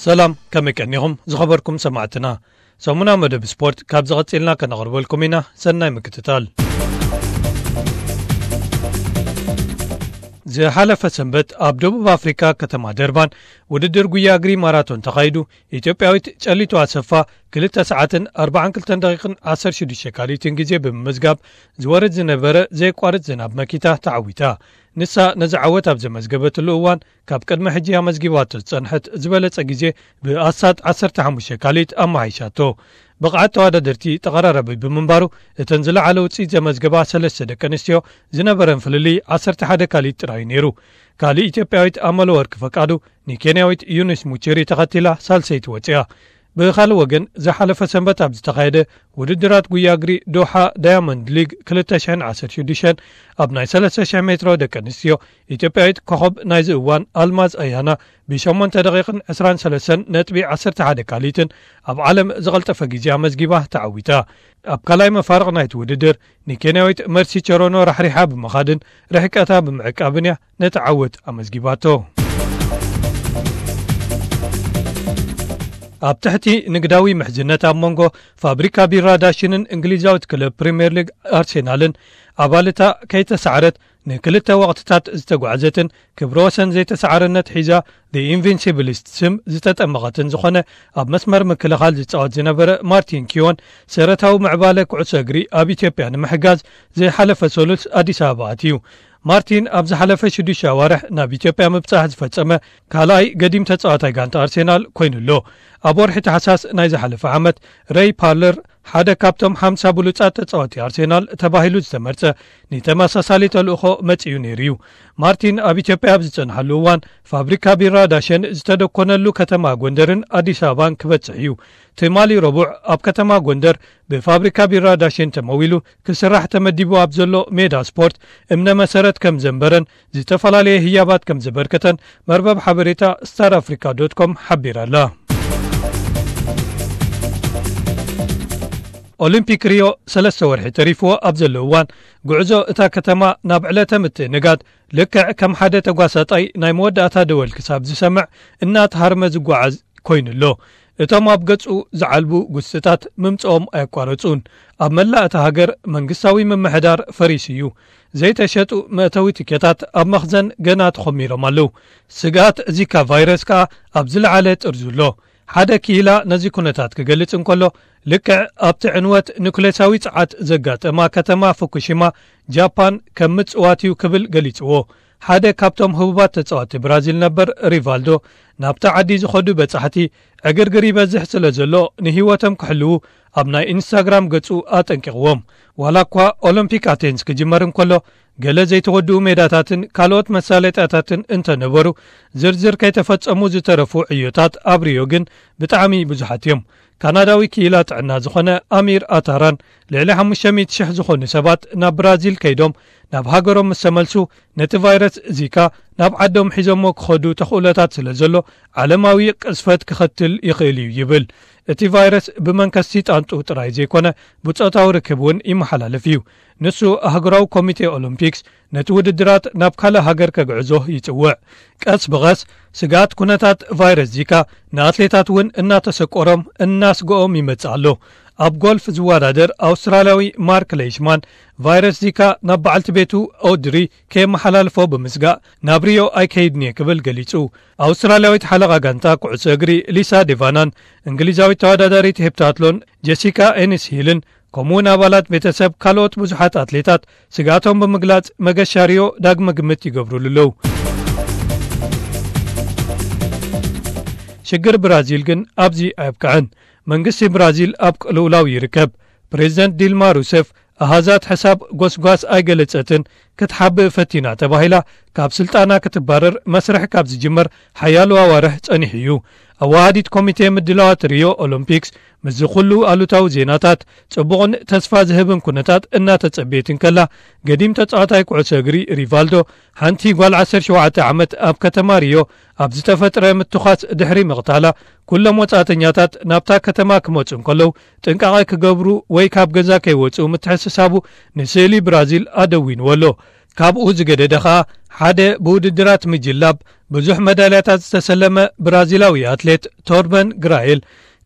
ሰላም፣ ከመይ ቀኒኹም ዝኸበርኩም ሰማዕትና? ሰሙና መደብ ስፖርት ካብ ዝቐጽልና ከነቕርበልኩም ኢና። ሰናይ ምክትታል። ዝሓለፈ ሰንበት ኣብ ደቡብ ኣፍሪካ ከተማ ደርባን ውድድር ጉያ እግሪ ማራቶን ተኻይዱ። ኢትዮጵያዊት ጨሊቱ ኣሰፋ ክልተ ሰዓትን ኣርባዓን ክልተን ደቂቕን ዓሰርተ ሽዱሽተ ካሊትን ግዜ ብምምዝጋብ ዝወርድ ዝነበረ ዘየቋርጽ ዝናብ መኪታ ተዓዊታ። ንሳ ነዚ ዓወት ኣብ ዘመዝገበትሉ እዋን ካብ ቅድሚ ሕጂ ኣመዝጊባቶ ዝጸንሐት ዝበለጸ ግዜ ብኣስታት ዓሰርተ ሓሙሽተ ካሊት ኣመሓይሻቶ። ብቕዓት ተወዳደርቲ ተቐራራቢ ብምንባሩ እተን ዝለዓለ ውጽኢት ዘመዝገባ ሰለስተ ደቂ ኣንስትዮ ዝነበረን ፍልልይ ዓሰርተ ሓደ ካሊት ጥራይ ነይሩ። ካልእ ኢትዮጵያዊት ኣመለወርቅ ፈቃዱ ንኬንያዊት ዩኒስ ሙቺሪ ተኸቲላ ሳልሰይቲ ወጺኣ። ብኻልእ ወገን ዝሓለፈ ሰንበት ኣብ ዝተኻየደ ውድድራት ጉያ እግሪ ዶሓ ዳያመንድ ሊግ ክልተ ሽሕን ዓሰርተ ሽዱሽተን ኣብ ናይ ሰለስተ ሽሕ ሜትሮ ደቂ ኣንስትዮ ኢትዮጵያዊት ኮኸብ ናይዚ እዋን ኣልማዝ ኣያና ብሸሞንተ ደቂቕን ዕስራን ሰለስተን ነጥቢ ዓሰርተ ሓደ ካሊትን ኣብ ዓለም ዝቐልጠፈ ግዜ ኣመዝጊባ ተዓዊታ። ኣብ ካልኣይ መፋርቕ ናይቲ ውድድር ንኬንያዊት መርሲ ቸሮኖ ራሕሪሓ ብምኻድን ርሕቀታ ብምዕቃብን እያ ነቲ ዓወት ኣመዝጊባቶ። ኣብ ትሕቲ ንግዳዊ ምሕዝነት ኣብ መንጎ ፋብሪካ ቢራ ዳሽንን እንግሊዛዊት ክለብ ፕሪምየር ሊግ ኣርሴናልን ኣባልታ ከይተሳዕረት ንክልተ ወቕትታት ዝተጓዕዘትን ክብረ ወሰን ዘይተሳዕርነት ሒዛ The Invincibles ስም ዝተጠመቐትን ዝኾነ ኣብ መስመር ምክልኻል ዝጻወት ዝነበረ ማርቲን ኪዮን ሰረታዊ ምዕባለ ኩዕሶ እግሪ ኣብ ኢትዮጵያ ንምሕጋዝ ዝሓለፈ ሰሉስ ኣዲስ ኣበባ ኣትዩ። ማርቲን ኣብ ዝሓለፈ ሽዱሽተ ኣዋርሕ ናብ ኢትዮጵያ ምብጻሕ ዝፈጸመ ካልኣይ ገዲም ተጻዋታይ ጋንታ ኣርሴናል ኮይኑ ኣሎ። ኣብ ወርሒ ታሕሳስ ናይ ዝሓለፈ ዓመት ረይ ፓርለር ሓደ ካብቶም ሓምሳ ብሉጻት ተጻወቲ ኣርሴናል ተባሂሉ ዝተመርጸ ንተመሳሳሊ ተልእኾ መጺኡ ነይሩ እዩ። ማርቲን ኣብ ኢትዮጵያ ኣብ ዝጸንሓሉ እዋን ፋብሪካ ቢራ ዳሸን ዝተደኮነሉ ከተማ ጎንደርን ኣዲስ ኣበባን ክበጽሕ እዩ። ትማሊ ረቡዕ ኣብ ከተማ ጎንደር ብፋብሪካ ቢራ ዳሸን ተመዊሉ ክስራሕ ተመዲቡ ኣብ ዘሎ ሜዳ ስፖርት እምነ መሰረት ከም ዘንበረን ዝተፈላለየ ህያባት ከም ዘበርከተን መርበብ ሓበሬታ ስታር ኣፍሪካ ዶት ኮም ሓቢራ ኣላ። ኦሊምፒክ ሪዮ ሰለስተ ወርሒ ተሪፍዎ ኣብ ዘሎ እዋን፣ ጉዕዞ እታ ከተማ ናብ ዕለተ ምትእንጋድ ልክዕ ከም ሓደ ተጓሳጣይ ናይ መወዳእታ ደወል ክሳብ ዝሰምዕ እናተሃርመ ዝጓዓዝ ኮይኑ ኣሎ። እቶም ኣብ ገጹ ዝዓልቡ ጉስጥታት ምምጽኦም ኣየቋረጹን። ኣብ መላእ እታ ሃገር መንግስታዊ ምምሕዳር ፈሪሱ እዩ። ዘይተሸጡ መእተዊ ትኬታት ኣብ መኽዘን ገና ተኾሚሮም ኣለዉ። ስግኣት ዚካ ቫይረስ ከኣ ኣብ ዝለዓለ ጥርዙ ኣሎ። ሓደ ክኢላ ነዚ ኩነታት ክገልጽ እንከሎ፣ ልክዕ ኣብቲ ዕንወት ኑክሌሳዊ ጸዓት ዘጋጠማ ከተማ ፉኩሺማ ጃፓን ከም ምጽዋት እዩ ክብል ገሊጽዎ። ሓደ ካብቶም ህቡባት ተጻወትቲ ብራዚል ነበር ሪቫልዶ፣ ናብታ ዓዲ ዝኸዱ በጻሕቲ ዕግርግር ይበዝሕ ስለ ዘሎ ንህይወቶም ክሕልዉ ኣብ ናይ ኢንስታግራም ገጹ ኣጠንቂቕዎም። ዋላ እኳ ኦሎምፒክ ኣቴንስ ክጅመር እንከሎ፣ ገለ ዘይተወድኡ ሜዳታትን ካልኦት መሳለጥያታትን እንተነበሩ፣ ዝርዝር ከይተፈጸሙ ዝተረፉ ዕዮታት ኣብ ሪዮ ግን ብጣዕሚ ብዙሓት እዮም። ካናዳዊ ክኢላ ጥዕና ዝኾነ ኣሚር ኣታራን፣ ልዕሊ ሓሙሽተ ሚእቲ ሽሕ ዝኾኑ ሰባት ናብ ብራዚል ከይዶም ናብ ሃገሮም ምስ ተመልሱ፣ ነቲ ቫይረስ ዚካ ናብ ዓዶም ሒዞሞ ክኸዱ ተኽእሎታት ስለ ዘሎ፣ ዓለማዊ ቅዝፈት ክኸትል ይኽእል እዩ ይብል። እቲ ቫይረስ ብመንከስቲ ጣንጡ ጥራይ ዘይኮነ፣ ብጾታዊ ርክብ እውን ይመሓላለፍ እዩ። ንሱ ኣህጉራዊ ኮሚቴ ኦሎምፒክስ ነቲ ውድድራት ናብ ካልእ ሃገር ከግዕዞ ይጽውዕ። ቀስ ብቐስ ስግኣት ኩነታት ቫይረስ ዚካ ንኣትሌታት እውን እናተሰቆሮም እናስግኦም ይመጽእ ኣሎ። ኣብ ጎልፍ ዝወዳደር ኣውስትራልያዊ ማርክ ሌይሽማን ቫይረስ ዚካ ናብ በዓልቲ ቤቱ ኦድሪ ከየመሓላልፎ ብምስጋእ ናብ ሪዮ ኣይከይድን እየ ክብል ገሊጹ። ኣውስትራልያዊት ሓለቓ ጋንታ ኩዕሶ እግሪ ሊሳ ዴቫናን እንግሊዛዊት ተወዳዳሪት ሄፕታትሎን ጀሲካ ኤኒስ ሂልን ከምኡውን ኣባላት ቤተሰብ ካልኦት ብዙሓት ኣትሌታት ስግኣቶም ብምግላጽ መገሻ ሪዮ ዳግመ ግምት ይገብሩሉ ኣለዉ። ሽግር ብራዚል ግን ኣብዚ ኣየብቅዐን። መንግስቲ ብራዚል ኣብ ቅልውላው ይርከብ። ፕሬዚደንት ዲልማ ሩሰፍ ኣሃዛት ሕሳብ ጎስጓስ ኣይገለጸትን፣ ክትሓብእ ፈቲና ተባሂላ ካብ ስልጣና ክትባረር መስርሕ ካብ ዝጅመር ሓያሎ ኣዋርሕ ጸኒሑ እዩ። ኣዋሃዲት ኮሚቴ ምድላዋት ሪዮ ኦሎምፒክስ ምስዚ ኩሉ ኣሉታዊ ዜናታት ጽቡቕን ተስፋ ዝህብን ኩነታት እናተጸበየት እንከላ፣ ገዲም ተጻዋታይ ኩዕሶ እግሪ ሪቫልዶ ሓንቲ ጓል ዓሰርተ ሸውዓተ ዓመት ኣብ ከተማ ሪዮ ኣብ ዝተፈጥረ ምትዃስ ድሕሪ ምቕታላ፣ ኩሎም ወጻእተኛታት ናብታ ከተማ ክመጹ እንከለዉ ጥንቃቐ ክገብሩ ወይ ካብ ገዛ ከይወጹ ምትሕስሳቡ ንስእሊ ብራዚል ኣደዊንዎ ኣሎ። ካብኡ ዝገደደ ኸኣ ሓደ ብውድድራት ምጅላብ ብዙሕ መዳልያታት ዝተሰለመ ብራዚላዊ ኣትሌት ቶርበን ግራኤል፣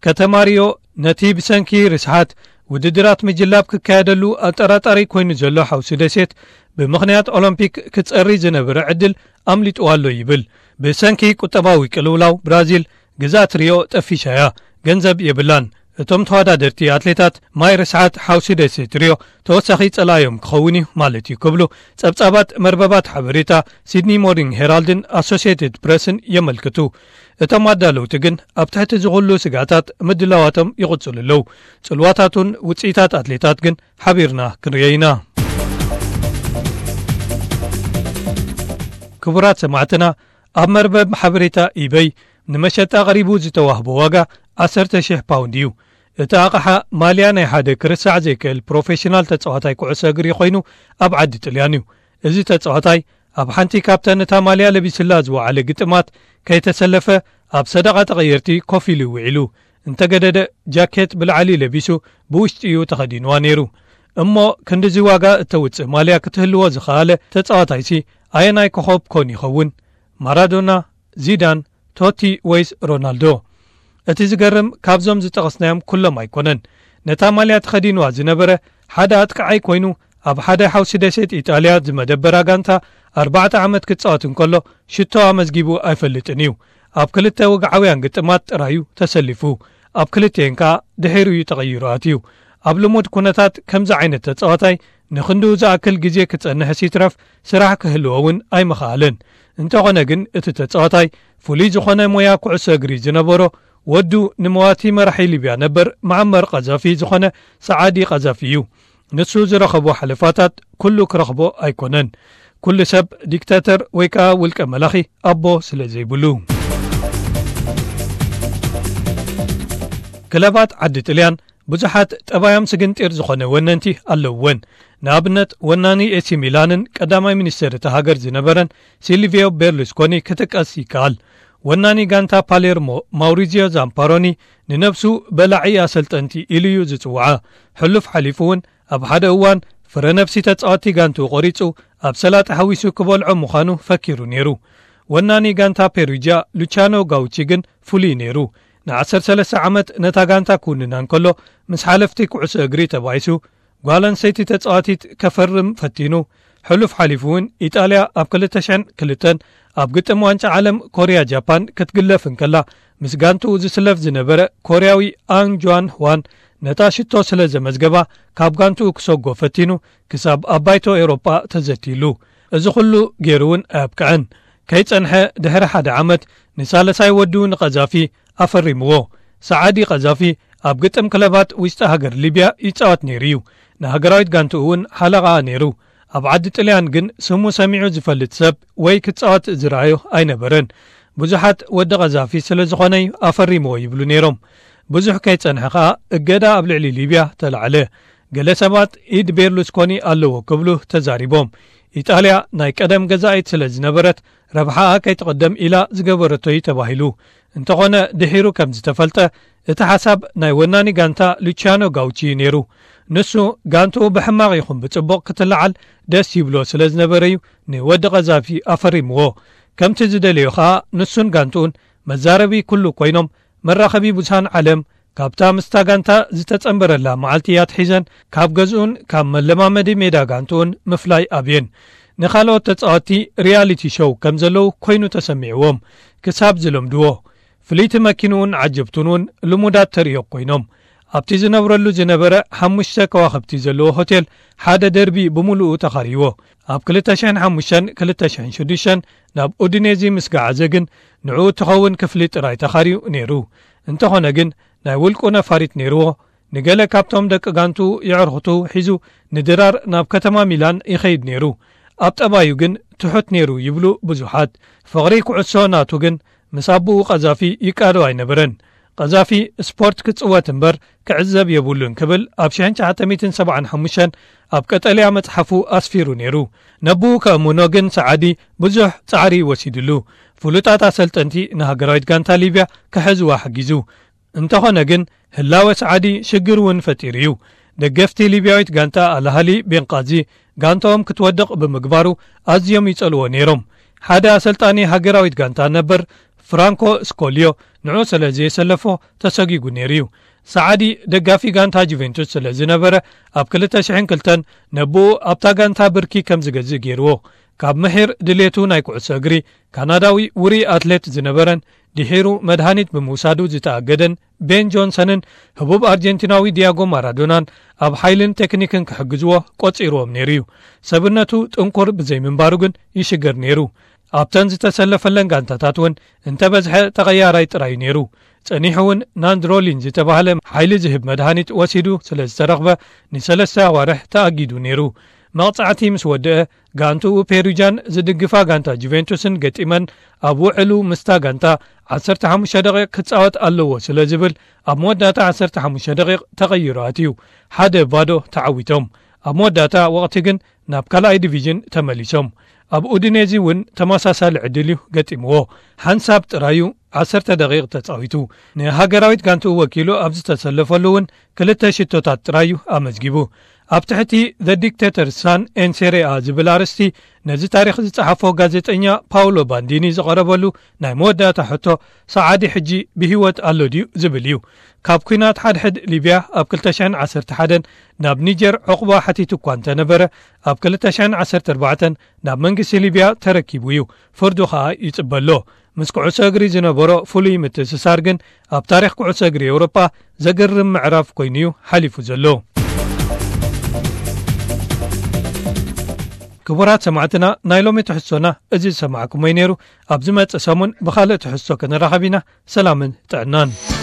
ከተማ ሪዮ ነቲ ብሰንኪ ርስሓት ውድድራት ምጅላብ ክካየደሉ ኣጠራጣሪ ኮይኑ ዘሎ ሓውሲ ደሴት፣ ብምኽንያት ኦሎምፒክ ክጸሪ ዝነበረ ዕድል ኣምሊጥዋ ኣሎ ይብል። ብሰንኪ ቁጠባዊ ቅልውላው ብራዚል፣ ግዝኣት ሪዮ ጠፊሻ እያ፣ ገንዘብ የብላን። እቶም ተወዳደርቲ ኣትሌታት ማይ ርስሓት ሓውሲ ደሴት ሪዮ ተወሳኺ ጸላእዮም ክኸውን እዩ ማለት እዩ ክብሉ ጸብጻባት መርበባት ሓበሬታ ሲድኒ ሞርኒንግ ሄራልድን ኣሶሲየትድ ፕረስን የመልክቱ። እቶም ኣዳለውቲ ግን ኣብ ትሕቲ ዝኹሉ ስጋታት ምድላዋቶም ይቕጽሉ ኣለዉ። ጽልዋታቱን ውጽኢታት ኣትሌታት ግን ሓቢርና ክንርዮ ኢና። ክቡራት ሰማዕትና፣ ኣብ መርበብ ሓበሬታ ኢበይ ንመሸጣ ቀሪቡ ዝተዋህቦ ዋጋ ዓሰርተ ሽሕ ፓውንድ እዩ። እቲ ኣቕሓ ማልያ ናይ ሓደ ክርሳዕ ዘይክእል ፕሮፌሽናል ተጻዋታይ ኩዕሶ እግሪ ኮይኑ ኣብ ዓዲ ጥልያን እዩ። እዚ ተጻዋታይ ኣብ ሓንቲ ካብተን እታ ማልያ ለቢስላ ዝወዓለ ግጥማት ከይተሰለፈ ኣብ ሰደቓ ተቐየርቲ ኮፍ ኢሉ ውዒሉ። እንተገደደ ጃኬት ብላዕሊ ለቢሱ ብውሽጢ እዩ ተኸዲንዋ ነይሩ። እሞ ክንድዚ ዋጋ እተውጽእ ማልያ ክትህልዎ ዝኸኣለ ተጻዋታይሲ ኣየናይ ኮኸብ ኮን ይኸውን? ማራዶና፣ ዚዳን፣ ቶቲ ወይስ ሮናልዶ? እቲ ዝገርም ካብዞም ዝጠቐስናዮም ኩሎም ኣይኮነን። ነታ ማልያ ተኸዲንዋ ዝነበረ ሓደ ኣጥቃዓይ ኮይኑ ኣብ ሓደ ሓውሲ ደሴት ኢጣልያ ዝመደበራ ጋንታ ኣርባዕተ ዓመት ክጻወት እንከሎ ሽቶ ኣመዝጊቡ ኣይፈልጥን እዩ። ኣብ ክልተ ወግዓውያን ግጥማት ጥራዩ ተሰሊፉ። ኣብ ክልቲኤን ከኣ ድሒሩ እዩ ተቐይሩ ኣትዩ። ኣብ ልሙድ ኩነታት ከምዚ ዓይነት ተጻዋታይ ንኽንድኡ ዝኣክል ግዜ ክጸንሕስ ይትረፍ ስራሕ ክህልዎ እውን ኣይምኸኣለን። እንተኾነ ግን እቲ ተጻዋታይ ፍሉይ ዝኾነ ሞያ ኩዕሶ እግሪ ዝነበሮ ወዱ ንመዋቲ መራሒ ሊብያ ነበር መዓመር ቀዛፊ ዝኾነ ሰዓዲ ቀዛፊ እዩ። ንሱ ዝረኸቦ ሓለፋታት ኩሉ ክረኽቦ ኣይኮነን። ኩሉ ሰብ ዲክታተር ወይ ከኣ ውልቀ መላኺ ኣቦ ስለ ዘይብሉ። ክለባት ዓዲ ጥልያን ብዙሓት ጠባዮም ስግንጢር ዝኾነ ወነንቲ ኣለውወን። ንኣብነት ወናኒ ኤሲ ሚላንን ቀዳማይ ሚኒስተር እታ ሃገር ዝነበረን ሲልቪዮ ቤርሉስኮኒ ክጥቀስ ይከኣል። ወናኒ ጋንታ ፓሌርሞ ማውሪዚዮ ዛምፓሮኒ ንነብሱ በላዒ ኣሰልጠንቲ ኢሉ እዩ ዝጽውዓ። ሕሉፍ ሓሊፉ እውን ኣብ ሓደ እዋን ፍረ ነብሲ ተጻወቲ ጋንቱ ቆሪጹ ኣብ ሰላጣ ሓዊሱ ክበልዖ ምዃኑ ፈኪሩ ነይሩ። ወናኒ ጋንታ ፔሩጃ ሉቻኖ ጋውቺ ግን ፍሉይ ነይሩ። ን ዓሰርተ ሰለስተ ዓመት ነታ ጋንታ ክውንና እንከሎ ምስ ሓለፍቲ ኩዕሶ እግሪ ተባኢሱ ጓል ኣንስተይቲ ተጻዋቲት ከፈርም ፈቲኑ። ሕሉፍ ሓሊፉ እውን ኢጣልያ ኣብ ክልተ ሽሕን ክልተን ኣብ ግጥም ዋንጫ ዓለም ኮርያ ጃፓን ክትግለፍ እንከላ ምስ ጋንትኡ ዝስለፍ ዝነበረ ኮርያዊ ኣንግ ጁዋን ህዋን ነታ ሽቶ ስለ ዘመዝገባ ካብ ጋንትኡ ክሰጎ ፈቲኑ ክሳብ ኣብ ባይቶ ኤውሮጳ ተዘትይሉ። እዚ ኩሉ ገይሩ እውን ኣየብቅዐን። ከይጸንሐ ድሕሪ ሓደ ዓመት ንሳልሳይ ወዱ ንቐዛፊ ኣፈሪምዎ። ሰዓዲ ቀዛፊ ኣብ ግጥም ክለባት ውሽጢ ሃገር ሊብያ ይጻወት ነይሩ እዩ። ንሃገራዊት ጋንትኡ እውን ሓለቓኣ ነይሩ። ኣብ ዓዲ ጥልያን ግን ስሙ ሰሚዑ ዝፈልጥ ሰብ ወይ ክጻወት ዝረኣዮ ኣይነበረን። ብዙሓት ወዲ ቀዛፊ ስለ ዝኾነ እዩ ኣፈሪምዎ ይብሉ ነይሮም። ብዙሕ ከይጸንሐ ከኣ እገዳ ኣብ ልዕሊ ሊብያ ተላዕለ። ገለ ሰባት ኢድ ቤርሉስኮኒ ኣለዎ ክብሉ ተዛሪቦም። ኢጣልያ ናይ ቀደም ገዛኢት ስለ ዝነበረት ረብሓኣ ከይትቕደም ኢላ ዝገበረቶ እዩ ተባሂሉ። እንተኾነ ድሒሩ ከም ዝተፈልጠ እቲ ሓሳብ ናይ ወናኒ ጋንታ ሉቺያኖ ጋውቺ እዩ ነይሩ። ንሱ ጋንትኡ ብሕማቕ ይኹን ብጽቡቕ ክትለዓል ደስ ይብሎ ስለ ዝነበረ እዩ ንወዲ ቀዛፊ ኣፈሪምዎ። ከምቲ ዝደለዮ ኸኣ ንሱን ጋንትኡን መዛረቢ ኩሉ ኮይኖም መራኸቢ ብዙሃን ዓለም ካብታ ምስታ ጋንታ ዝተጸንበረላ መዓልቲ ኣትሒዘን ካብ ገዝኡን ካብ መለማመዲ ሜዳ ጋንትኡን ምፍላይ ኣብየን። ንኻልኦት ተጻወትቲ ሪያሊቲ ሾው ከም ዘለዉ ኮይኑ ተሰሚዕዎም ክሳብ ዝለምድዎ። ፍልይቲ መኪንኡን ዓጀብቱን እውን ልሙዳት ተርእዮ ኮይኖም። ኣብቲ ዝነብረሉ ዝነበረ ሓሙሽተ ከዋኽብቲ ዘለዎ ሆቴል ሓደ ደርቢ ብምሉኡ ተኻርይዎ። ኣብ ክልተ ሽሕን ሓሙሽተን ክልተ ሽሕን ሽዱሽተን ናብ ኡዲኔዚ ምስ ገዓዘ ግን ንዕኡ እትኸውን ክፍሊ ጥራይ ተኻርዩ ነይሩ። እንተኾነ ግን ናይ ውልቁ ነፋሪት ነይርዎ። ንገለ ካብቶም ደቂ ጋንቱ የዕርኽቱ ሒዙ ንድራር ናብ ከተማ ሚላን ይኸይድ ነይሩ። ኣብ ጠባዩ ግን ትሑት ነይሩ ይብሉ ብዙሓት። ፍቕሪ ኩዕሶ ናቱ ግን ምስ ኣቦኡ ቀዛፊ ይቃዶ ኣይነበረን። ቀዛፊ ስፖርት ክጽወት እምበር ክዕዘብ የብሉን ክብል ኣብ ሽሕን ትሽዓተ ሚእትን ሰብዓን ሓሙሽተን ኣብ ቀጠልያ መጽሓፉ ኣስፊሩ ነይሩ። ነብኡ ከእምኖ ግን ሰዓዲ ብዙሕ ጻዕሪ ወሲድሉ። ፍሉጣት ኣሰልጠንቲ ንሃገራዊት ጋንታ ሊብያ ክሕዝዋ ሓጊዙ። እንተኾነ ግን ህላወ ሰዓዲ ሽግር እውን ፈጢሩ እዩ። ደገፍቲ ሊብያዊት ጋንታ ኣልኣህሊ ቤንቃዚ ጋንታኦም ክትወድቕ ብምግባሩ ኣዝዮም ይጸልዎ ነይሮም። ሓደ ኣሰልጣኒ ሃገራዊት ጋንታ ነበር ፍራንኮ ስኮልዮ ንዑ ስለ ዘየሰለፎ ተሰጊጉ ነይሩ እዩ። ሰዓዲ ደጋፊ ጋንታ ጁቬንቱስ ስለ ዝነበረ፣ ኣብ ክልተ ሽሕን ክልተን ነብኡ ኣብታ ጋንታ ብርኪ ከም ዝገዝእ ገይርዎ። ካብ ምሒር ድሌቱ ናይ ኩዕሶ እግሪ ካናዳዊ ውሩይ ኣትሌት ዝነበረን ድሒሩ መድሃኒት ብምውሳዱ ዝተኣገደን ቤን ጆንሰንን ህቡብ ኣርጀንቲናዊ ዲያጎ ማራዶናን ኣብ ሓይልን ቴክኒክን ክሕግዝዎ ቆጺርዎም ነይሩ እዩ። ሰብነቱ ጥንኩር ብዘይምንባሩ ግን ይሽገር ነይሩ። ኣብተን ዝተሰለፈለን ጋንታታት እውን እንተበዝሐ ተቐያራይ ጥራይ ነይሩ። ጸኒሑ እውን ናንድሮሊን ዝተባህለ ሓይሊ ዝህብ መድሃኒት ወሲዱ ስለ ዝተረኽበ ንሰለስተ ኣዋርሕ ተኣጊዱ ነይሩ። መቕጻዕቲ ምስ ወደአ፣ ጋንትኡ ፔሩጃን ዝድግፋ ጋንታ ጁቬንቱስን ገጢመን ኣብ ውዕሉ ምስታ ጋንታ ዓሰርተ ሓሙሽተ ደቂቕ ክጻወት ኣለዎ ስለ ዝብል ኣብ መወዳእታ ዓሰርተ ሓሙሽተ ደቂቕ ተቐይሩ ኣትዩ። ሓደ ባዶ ተዓዊቶም። ኣብ መወዳእታ ወቕቲ ግን ናብ ካልኣይ ዲቪዥን ተመሊሶም። ኣብ ኡዲኔዚ እውን ተመሳሳሊ ዕድል እዩ ገጢምዎ። ሓንሳብ ጥራዩ ዓሰርተ ደቂቕ ተጻዊቱ። ንሃገራዊት ጋንትኡ ወኪሉ ኣብ ዝተሰለፈሉ እውን ክልተ ሽቶታት ጥራዩ ኣመዝጊቡ። ኣብ ትሕቲ The Dictator Son and Serie A ዝብል ኣርእስቲ ነዚ ታሪኽ ዝጸሓፎ ጋዜጠኛ ፓውሎ ባንዲኒ ዝቐረበሉ ናይ መወዳእታ ሕቶ፣ ሰዓዲ ሕጂ ብህይወት ኣሎ ድዩ ዝብል እዩ። ካብ ኲናት ሓድሕድ ሊብያ ኣብ ክልተ ሽሕን ዓሰርተ ሓደን ናብ ኒጀር ዕቑባ ሓቲቱ እኳ እንተነበረ፣ ኣብ ክልተ ሽሕን ዓሰርተ ኣርባዕተን ናብ መንግስቲ ሊብያ ተረኪቡ እዩ። ፍርዱ ኸኣ ይጽበ ኣሎ። ምስ ኩዕሶ እግሪ ዝነበሮ ፍሉይ ምትእስሳር ግን ኣብ ታሪኽ ኩዕሶ እግሪ ኤውሮጳ ዘገርም ምዕራፍ ኮይኑ እዩ ሓሊፉ ዘሎ። ክቡራት ሰማዕትና፣ ናይ ሎሚ ትሕዝቶና እዚ ዝሰማዕኩሞ እዩ ነይሩ። ኣብ ዝመጽእ ሰሙን ብኻልእ ትሕዝቶ ክንራኸብ ኢና። ሰላምን ጥዕናን።